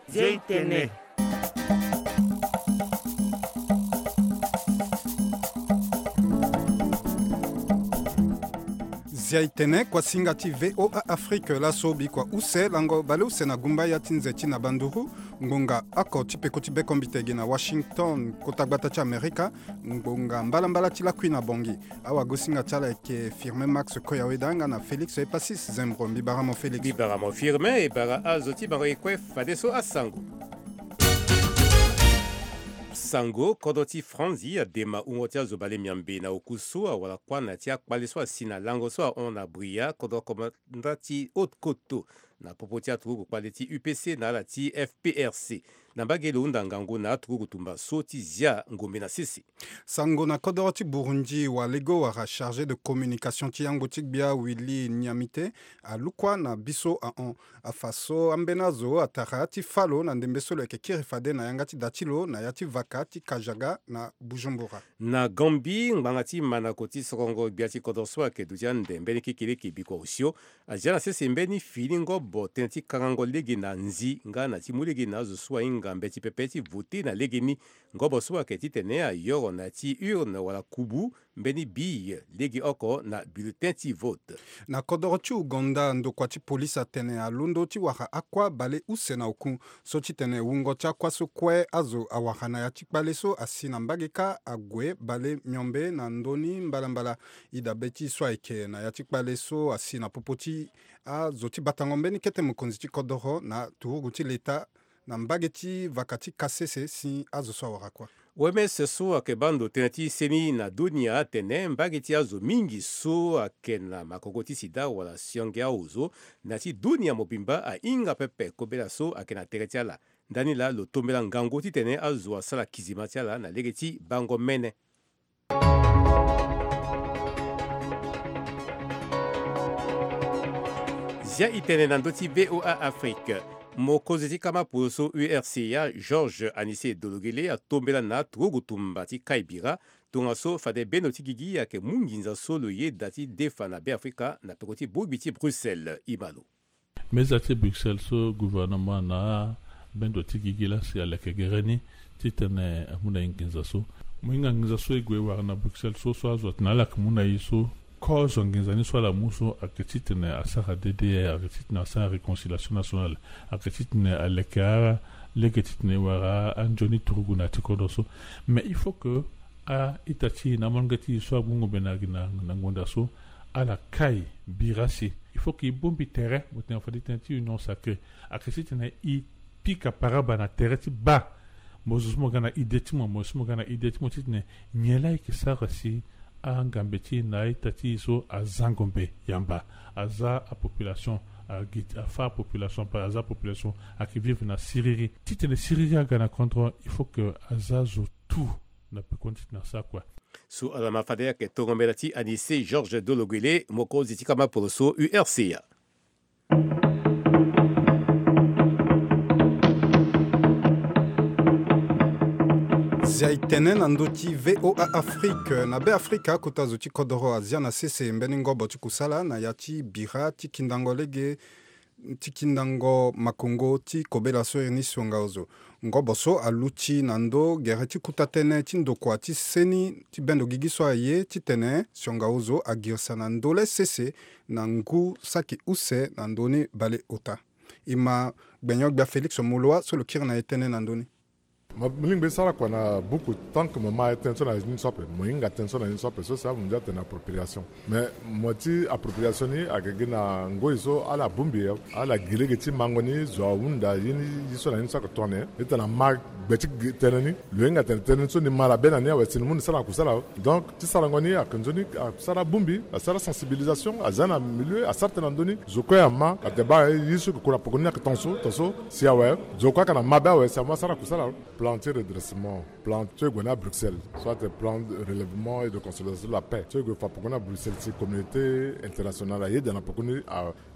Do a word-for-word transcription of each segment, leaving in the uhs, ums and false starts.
Zia itene. Zia itene, kuasinga ti VOA Afrique laso bikua use lango baleuse na gumba ya ti nze ti na banduru. Ngbonga oko ti peko ti bekombite gi na Washington, kota gbata ti Amerika. Ngbonga mbalambala ti lakui na bongi. Awagosinga ti ala eke Firmin Max Koyaweda nga na Félix Epasis Zembro. Mbi bara mo Félix. Mbi bara mo Firmin, e bara azo ti bango e kue fadeso asango. Sango, kodro ti Franzi adema wungo ti azo bale miambe na oku so awara kuâ na ya ti akpale so asi na lango so ahon na Bria, kodro komanda ti Haute-Koto, na popo ti aturugu kpale ti U P C na ala ti F P R C. Na mbage lo hunda ngangu na aturugu tumba so ti zia ngombe na sese. Sango na kodoro ti Burundi, walego wala chargé de communication ti yango ti gbia Willy Niamite alukua na biso ahon. Afa so ambeni azo atara ti fâ lo na ndembe so lo yeke kiri fade na yanga ti da ti lo na ya ti vaka ti Kajaga na Bujumbura. Na Gambie, ngbanga ti manako ti sorongo gbia ti kodro so ayeke duti ande mbeni kekereke bikua osio azia na sese mbeni fini ngobo tënë ti karango lege na nzi nga na ti mu lege na azo so ahinga mbeti pepe ti vote na legeni. Ngobo so ayeke titene ayoro na ya ti urne wala kubu mbeni bille lege oko na bulletin ti vote. Na kodoro ti Ouganda, ndokua ti polisi atene alondo ti wara akua bale use na oku so titene wungo ti akua so kue azo awara na ya ti kpale so asi na mbage kâ ague bale miombe na ndoni mbalambala. Idabe ti so ayeke na ya ti kpale so asi na popo ti azo ti batango mbeni kete mokonzi ti kodoro na turugu ti leta na mbage ti vaka ti Kasese si azo so awara kua. O M S so ayeke baa ndo tënë ti seni na dunia atene mbage ti azo mingi so ayeke na makoko ti sida wala sionge aozo na ya ti dunia mobimba ahinga pepe kobela so ayeke na tere ti ala. Ndani laa lo tombela ngangu titene azo asara kizima ti ala na lege ti bango mene. Zia itene na ndö ti V O A Afrique. Mokonzi ti kama poloso U R C A, Georges Anissé Dologele, atombela na turugu tumba ti kai bira. Tongaso fade bendo ti gigi ayeke mu nginza so lo yeda ti defa na Beafrika na peko ti bongbi ti Bruxelles. Imalo. Meza ti Bruxelles so gouvernement na bendo ti gigi lasi aleke gere ni titene amu na e nginza so. Mo hinga nginza so e gue wara na Bruxelles so, so azo atene ala yeke mu na e so. Kozo nginza ni so ala mu so ayeke titene asara D D R, ayeke titene asara réconciliation nationale, ayeke titene aleke ara lege titene e wara anzoni turugu na ya ti kodro so. Mais il faut que a-ita ti e na amolenge ti e so ague ngombe na, na, na ngonda so, ala kai bira si. Il faut que e bongbi tere, mo tene fade tënë ti union sacrée. Ayeke titene e pika paraba na tere ti baa. Mo zo so mo ga na idée ti mo, mo zo so mo ga na idée ti mo titene nyen laa e yeke sara si angambe ti e na a-ita ti e so aza ngombe yamba, aza apopulation, agi, afâ apopulation, pa aza apopulation ayeke vivre na siriri. Titene siriri aga na kodro, il faut que aza zo tout na pekoni titene asara kue. So ala ma fade ayeke tongo mbela ti Anissé Georges Dologuélé, mokonzi ti kama poloso U R C A. Zia e tene na ndö ti V O A Afrique. Na Beafrika, kota zo ti kodoro azia na sese mbeni ngobo ti kusala na ya ti bira ti kindango lege ti kindango makongo ti kobela so iri ni sionga ozo. Ngobo so aluti na ndö gere ti kuta tënë ti ndokua ti seni ti bendo gigi so aye titene sionga ozo agirisa na ndö le sese na ngu saki use na ndö ni baleota. E ma gbenyo-gbia Félix Moloua so lo kiri na e tënë na ndö ni. Mo, mo lingbi sara kua na buku tant que mo ma tënë so na ni so ape, mo hinga tënë so na ni so ape, so si amunzu atene appropriation. Mais mo ti appropriation ni ayeke gi na ngoi so ala bongbi, ala gi lege ti mango ni, zo ahunda ye ni, ye so na ni so ayeke tongana nyen. Ni tene ama gbe ti gi tënë ni, lo hinga tene tënë ni so ni ma labe na ni awe si ni mu ni sara na kusala. Donc ti sarango ni ayeke nzoni, asara bongbi, asara sensibilisation, aza na milieu, asara tënë na ndö ni. Zo kue ama, atene baa ye so yeke kura poko ni ayeke tongaso, tongaso, si awe. Zo kue ayeke na mabe awe si amu asara kusala. Plan ti redressement, plan so e gue na Bruxelles, soit plan de relèvement et de consolidation de la paix so e gue fa poko ni na Bruxelles, si communauté internationale ayeda na poko ni,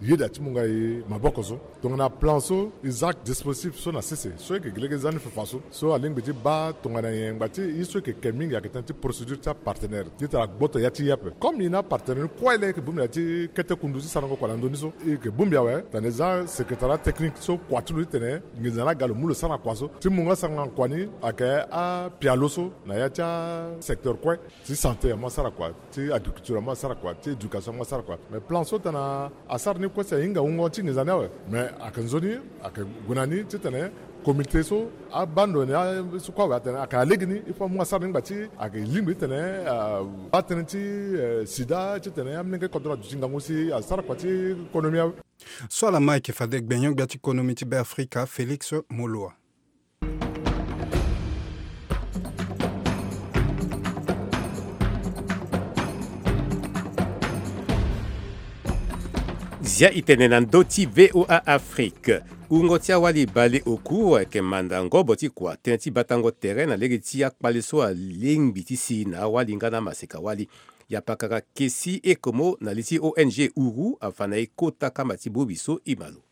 ayeda ti mu nga e maboko so. Tongana plan so e za dispositif so na sese so e yeke gi lege e za ni fafa so, so alingbi ti baa tongana nyen ngba ti e so e yeke ke mingi ayeke tënë ti procédure ti apartenaire ti tara gboto ya ti e ape. Comme e na apartenaire ni kue laa e yeke bongbi na ya ti kete kundu ti sarango kua na ndö ni so, e yeke bongbi awe titene e za secrétariat technique so kua ti lo titene nginza ni aga lo mu lo sara na kua so, ti mu nga sara na kua ni ayeke apialo so na ya ti asecteur kue. Ti santé amu asara kua, ti agriculture amu asara kua, ti éducation amu asara kua. Mais plan so tena asara ni kue si ahinga wungo ti nginza ni awe. Mais ayeke nzoni, ayeke gue na ni titene comité so abaa ndo ni, a- so kue awe atene ayeke na lege ni, il faut amu asara ni ngba ti ayeke lingbi titene, ah, baa tënë ti, eh, sida titene amolenge kodro aduti ngangu si asara kua ti konomi awe. So ala ma ayeke fade gbenyo-gbia ti konomi ti Beafrika, Félix Moloa. Zia e tene na ndö ti V O A Afrique. Wungo ti awali baleoku ayeke manda ngobo ti kua tënë ti batango tere na lege ti akpale so alingbi ti si na awali nga na maseka-wali. Yapakara Kessie Ekomo na li ti O N G Uru afa na e kota kamba ti bongbi so e ma lo.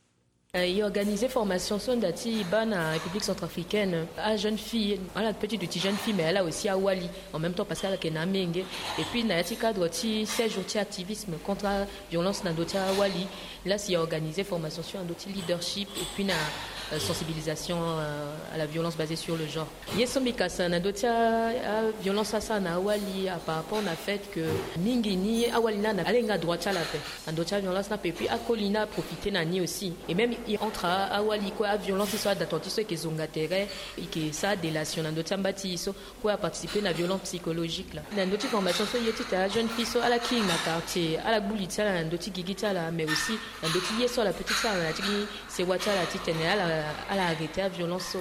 Euh, e organiser formation so nda ti e baa na République centrafricaine, ajeune fille, ala peut ti duti jeune fille, mais ala aussi awali en même temps parce que ala yeke na amenge. Et puis na ya ti cadre ti seize jours ti activisme contre aviolence na ndö ti awali, la si e organiser formation sur na ndö ti leadership et puis na, euh, sensibilisation, euh, à la violence basée sur le genre. Ye so mbi kasa na ndö ti a- aviolence asara na awali, a par rapport na fait que mingi ni awali ni ala hinga droit ti ala ape na ndö ti aviolence ni ape, et puis akoli ni aprofite na ni aussi. Et même e entre a- awali kue, aviolence so ada tonga ti so e yeke zonga tere, e yeke sara délation na ndö ti amba ti e so kue aparticiper na violence psychologique la. Na ndö ti formation so ye ti tene ajeune fille so ala kiri na quartier, ala gbu li ti ala na ndö ti gigi ti ala, mais aussi na ndö ti ye so ala peut ti sara na ya ti sewa ti ala titene ala, ala arrêter aviolence so.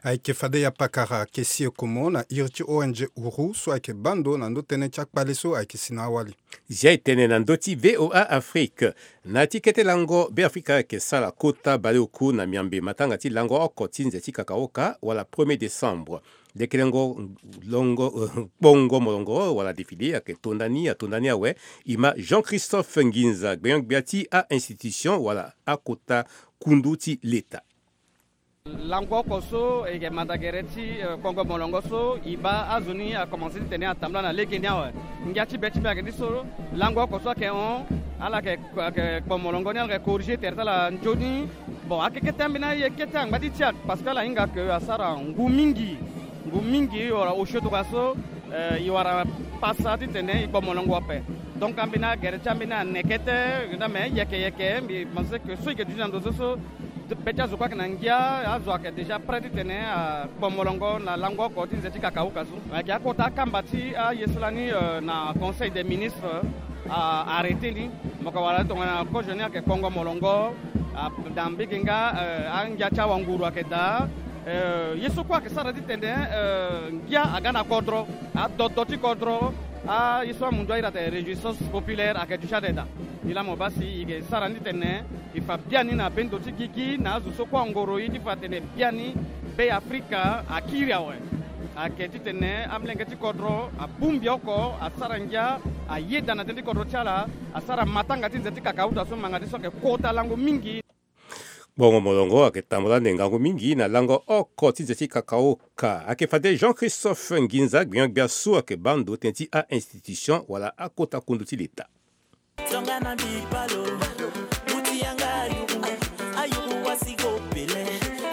Ayeke fade yapakara Kessie Ekomo na iri ti O N G Uru so ayeke baa ndo na ndö tënë ti akpale so ayeke si na awali. Zia e tene na ndö ti V O A Afrique. Na ya ti kete lango Beafrika ayeke sara kota baleoku na miambe matanga ti lango oko ti nze ti kakaoka wala premier décembre. Lekelengo longo, kpongo molongo wala défilé ayeke tonda ni, atonda ni awe. E ma Jean-Christophe Nginza, gbenyo-gbia ti a-institution wala akota kundu ti leta. Lango oko so e yeke manda gere ti, eh, kpongo molongo so e baa azo ni akomanse titene atambula na legeni awe. Ngia ti be ti mbi ayeke ni so, lango oko so ayeke hon, ala yeke, ayeke kpo molongo ni, ala yeke corriger tere ti ala nzoni. Bon, ayeke kete ambeni aye kete angba ti tiak parce que ala hinga ke asara ngu mingi. Ngu mingi e wara osio tongana so, eh, e wara pasa titene e kpo molongo ape. Donc ambeni agere ti ambeni ane kete, yeke-yeke mbi pense que so e yeke duti na ndo so so, be ti azo kue ayeke na ngia, azo ayeke déjà prêt titene akpo molongo na lango oko ti nze ti kakaoka so. Ayeke akota akamba ti aye so lani, eh, na Conseil des ministres, ah, arrêté ni. Mo yeke wara tongana kozo ni ayeke kpongo molongo, ah, na mbege nga, eh, angia ti awanguru ayeke daa. Eh, ye so kue ayeke sara titene, eh, ngia aga na kodro, adodo ti kodro, aye so amundu airi atene réjouissance populaire ayeke duti ade daa. Nilaa mo baa si e yeke sara ni titene e fa biani na be ndo ti gigi na azo so kue angoro e ti fa tene biani Beafrika akiri awe. Ayeke titene amolenge ti kodro abongbi oko, asara ngia, ayeda na tënë ti kodro ti ala, asara matanga ti nze ti kakauta so manga ti so ayeke kota lango mingi. Bongo molongo ayeke tambula ande ngangu mingi na lango oko ti nze ti kakaoka. Ayeke fade Jean-Christophe Nginza, gbenyo-gbia so ayeke baa ndo tënë ti a-institution wala akota kundu ti leta. Tongana bipalo, muti yanga ayuru, ayuru wasi go pele.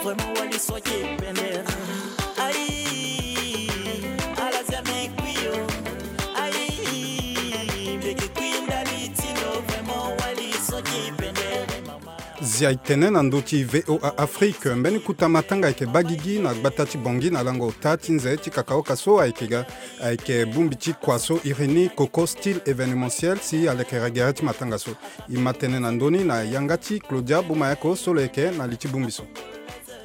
Vraiment wali so ake pender. Ayi, ala zia mbi kpi yo. Ayi, mbi yeke kpi ndali ti lo. Vraiment wali so ake pender. Zia e tene na ndö ti V O A Afrique, mbeni kota matanga ayeke baa gigi na gbata ti Bangui na lango ota ti nze ti kakaoka so ayeke ga, ayeke bongbi ti kua so iri ni Coco Style Événementiel si alekere gere ti matanga so. E ma tene na ndö ni na yanga ti Claudia Bumayako so lo yeke na li ti bongbi so.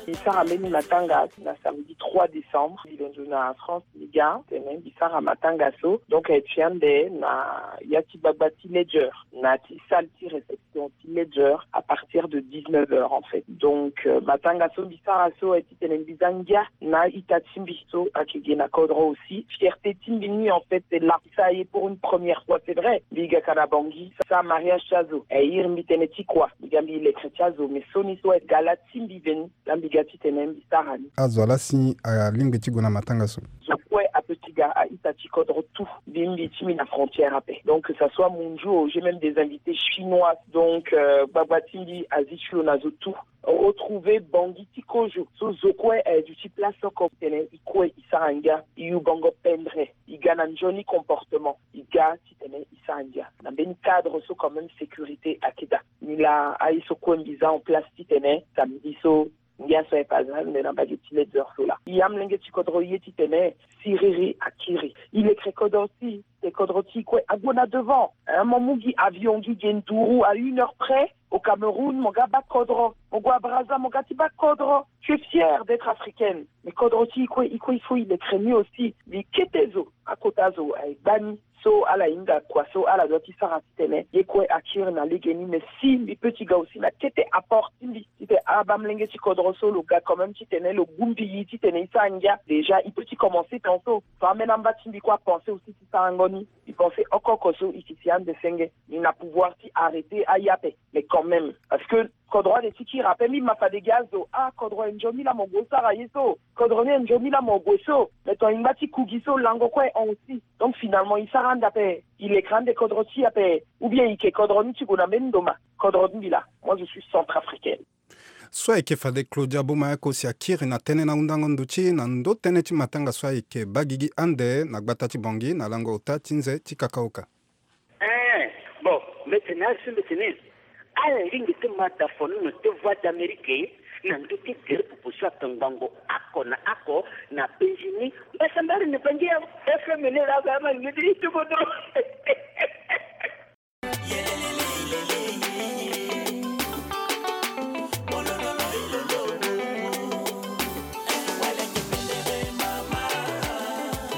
Mbi sara mbeni matanga na samedi trois décembre. Mbi londo na France, mbi ga tene mbi sara matanga so. Donc, eh, ti ande na ya ti gbagba ti Ledger, na ti salle ti réception ti Ledger à partir de dix-neuf heures, en fait. Donc, euh, matanga so mbi sara so, eh, titene mbi za ngia na ita ti mbi so ayeke gi na kodro aussi. Fierté ti mbi ni, en fait, c'est là. Ça y est, pour une première fois, c'est vrai. Mbi ga ka na Bangui, sa mariage ti azo. Eh, iri mbi tene ti kua. Mbi ga mbi lekre ti azo, mais so ni so, eh, gala ti mbi veni. Laa mbi ga titene mbi sara ni. Azo ala si alingbi ti gue na matanga so. Zo kue ape ti ga, a-ita ti kodro tout. Mbi, mbi ti mbi na frontière ape. Donc, que ça soit Munju, j'ai même des invités chinois. Donc, euh, gbagba ti mbi azi ti lo na zo tout. Retrouver Bangui ti kozo. So zo kue aye duti place oko tene i kue i sara ngia, i yu bango pendre. I ga na nzoni comportement. I ga titene i sara ngia. Na mbeni cadre so quand même sécurité ayeke daa. Ni laa aye so kue mbi za en place titene samedi so ngia so aye pas za nde na mbage ti Ledger so laa. I amolenge ti kodro ye titene siriri akiri. I lekre kodro ti, te kodro ti i kue ague na devant. Hein, mo mu gi avion, gi ge nduru à une heure près au Cameroun, mo ga baa kodro. Mo gue à Brazza, mo ga ti baa kodro. Tu es fière d'être africaine. Mais kodro ti i kue, i kue, il faut i lekre ni aussi. Mbi kete zo, akota zo aye gbani. So ala hinga kua so ala doit ti sara titene ye kue akiri na legeni. Mais si mbi peut ti ga aussi na kete apport ti mbi, titene abaa molenge ti kodro so lo ga quand même titene lo gu mbi i titene i sara ngia. Déjà, i peut ti commencer ton so. So ambeni amba ti mbi kue apenser aussi ti sarango ni. I pense oko oko so i ke si ande senge. Ni na pouvoir ti arrêter aye ape. Mais quand même, parce que kodro ade ti kiri ape. Mbi ma fade gi azo, ah, kodro e nzoni laa mo gue sara ye so. Kodro ni e nzoni laa mo gue so. Mais ton e ngba ti ku gi so, lango kue e hon aussi. Donc finalement, i sara ande ape, i lekre ande kodro ti i ape, ou bien i ke kodro ni ti gue na mbeni ndo ma. Kodro ti mbi laa, moi je suis centrafricaine. So ayeke fade Claudia Bomayeko si akiri na tënë na hundango nduti na ndo tënë ti matanga so ayeke baa gigi ande na gbata ti Bangui na lango ota ti nze ti kakaoka. Eh, bon, mbi tene asi mbi tene ala lingbi ti ma da fonono ti Voix d'Amérique na ndö ti gere popo so ayeke ngbongo oko na oko na penzi ni. Mbasambara ni bangi ya F M ni laa ga ma ni ti kodro.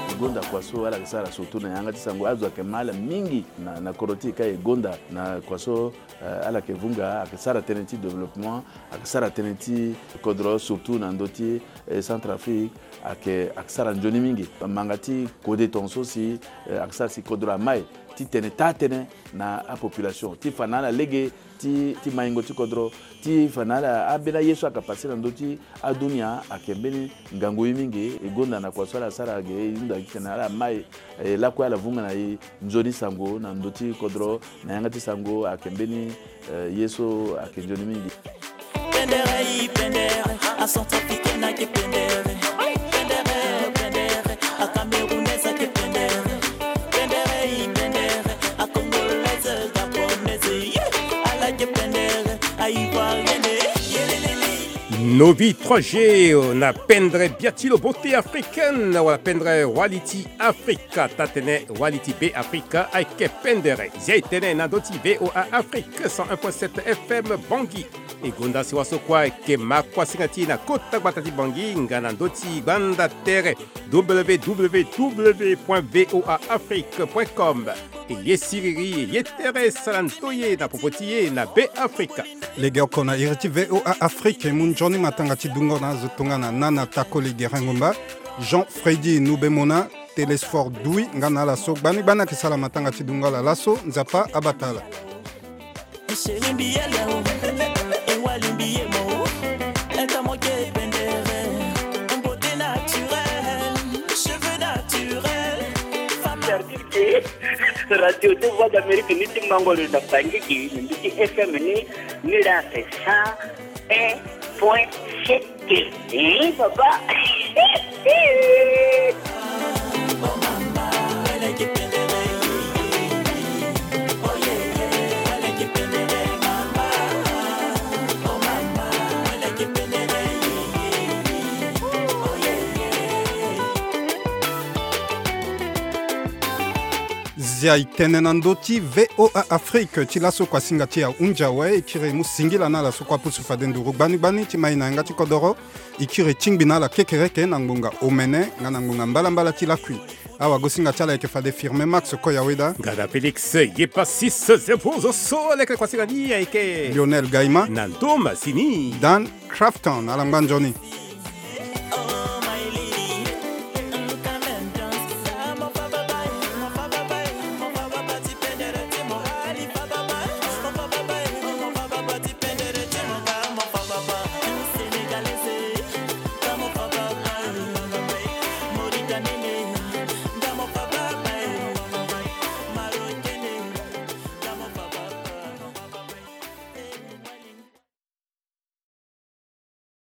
E gonda kua so ala yeke sara surtout na yanga ti sango. Azo ayeke ma ala mingi na, na kodro ti e ka e gonda na kua so, eh, ala yeke vunga, ayeke sara tënë ti développement, ayeke sara tënë ti kodro surtout na ndö ti, eh, Centrafrique, ayeke, ayeke sara nzoni mingi. Manga ti kode tongaso si, eh, ayeke sara si kodro amai ti tene taa tënë na apopulation ti fa na ala lege ti, ti maingo ti kodro, ti fa na ala ambeni aye so ayeke passe na ndö ti adunia ayeke mbeni ngangu ye mingi. E gonda na kua so ala sara ge, e hunda gi titene ala mai, e lakue ala vunga na e nzoni sango na ndö ti kodro, na yanga ti sango ayeke mbeni, eh, ye so ayeke nzoni mingi. Pendere, pendere, a Centrafricaine ayeke pendere. Pendere, pendere, a Camerounaise ayeke pendere. Pendere, pendere, a Congolaise, Gabonaise, yeah. Ala yeke pendere, a Ivoirienne, yeah. Novi trois G, euh, na pendre bia ti lo beauté africaine, wala pendre wali ti Afrika, taa tene wali ti Be Afrika ayeke pendere. Zia e tene na ndö ti V O A Afrique cent un point sept F M Bangui. E gonda sewa so kue ayeke ma kuasinga ti e na kota gbata ti Bangui nga na ndö ti gbanda tere w w w point v o a afrique point com. E ye siriri, e ye tere, sara ndoye na popo ti e na Be Afrika. Legeoko na iri ti V O A Afrique, e mu nzoni matanga ti dungo na azo tongana Nana Takoli Gerengomba, Jean Freddy Nubemona, Télésphore Dui, nga na ala so gbani gbani ayeke sara matanga ti dungo ala laso, Nzapa abata ala. Chéri mbi yele o, e wali mbi ye mo, e ka mo ke pendere, beauté naturelle, cheveux naturels, femme. Radio ti Voix d'Amérique ni ti mango lo na Bangui, na ndö ti F M ni, ni la c'est cent un point sept. Eh, papa. Dia e tene na ndö ti VOA Afrique ti laso kuasinga ti ahunzi awe. E kiri e mu singila na ala so kue apusu fade nduru gbani gbani ti ma e na yanga ti kodoro. E kiri e tingbi na ala kekereke na ngbonga omene nga na ngbonga mbalambala ti lakui. Awagosinga ti ala ayeke fade Firmin Max Koyaweda. Nga na Félix Yepasis Zempozo so leke kuasinga ni ayeke Lionel Gaima. Na ndö masini Dan Crafton ala ngba nzoni.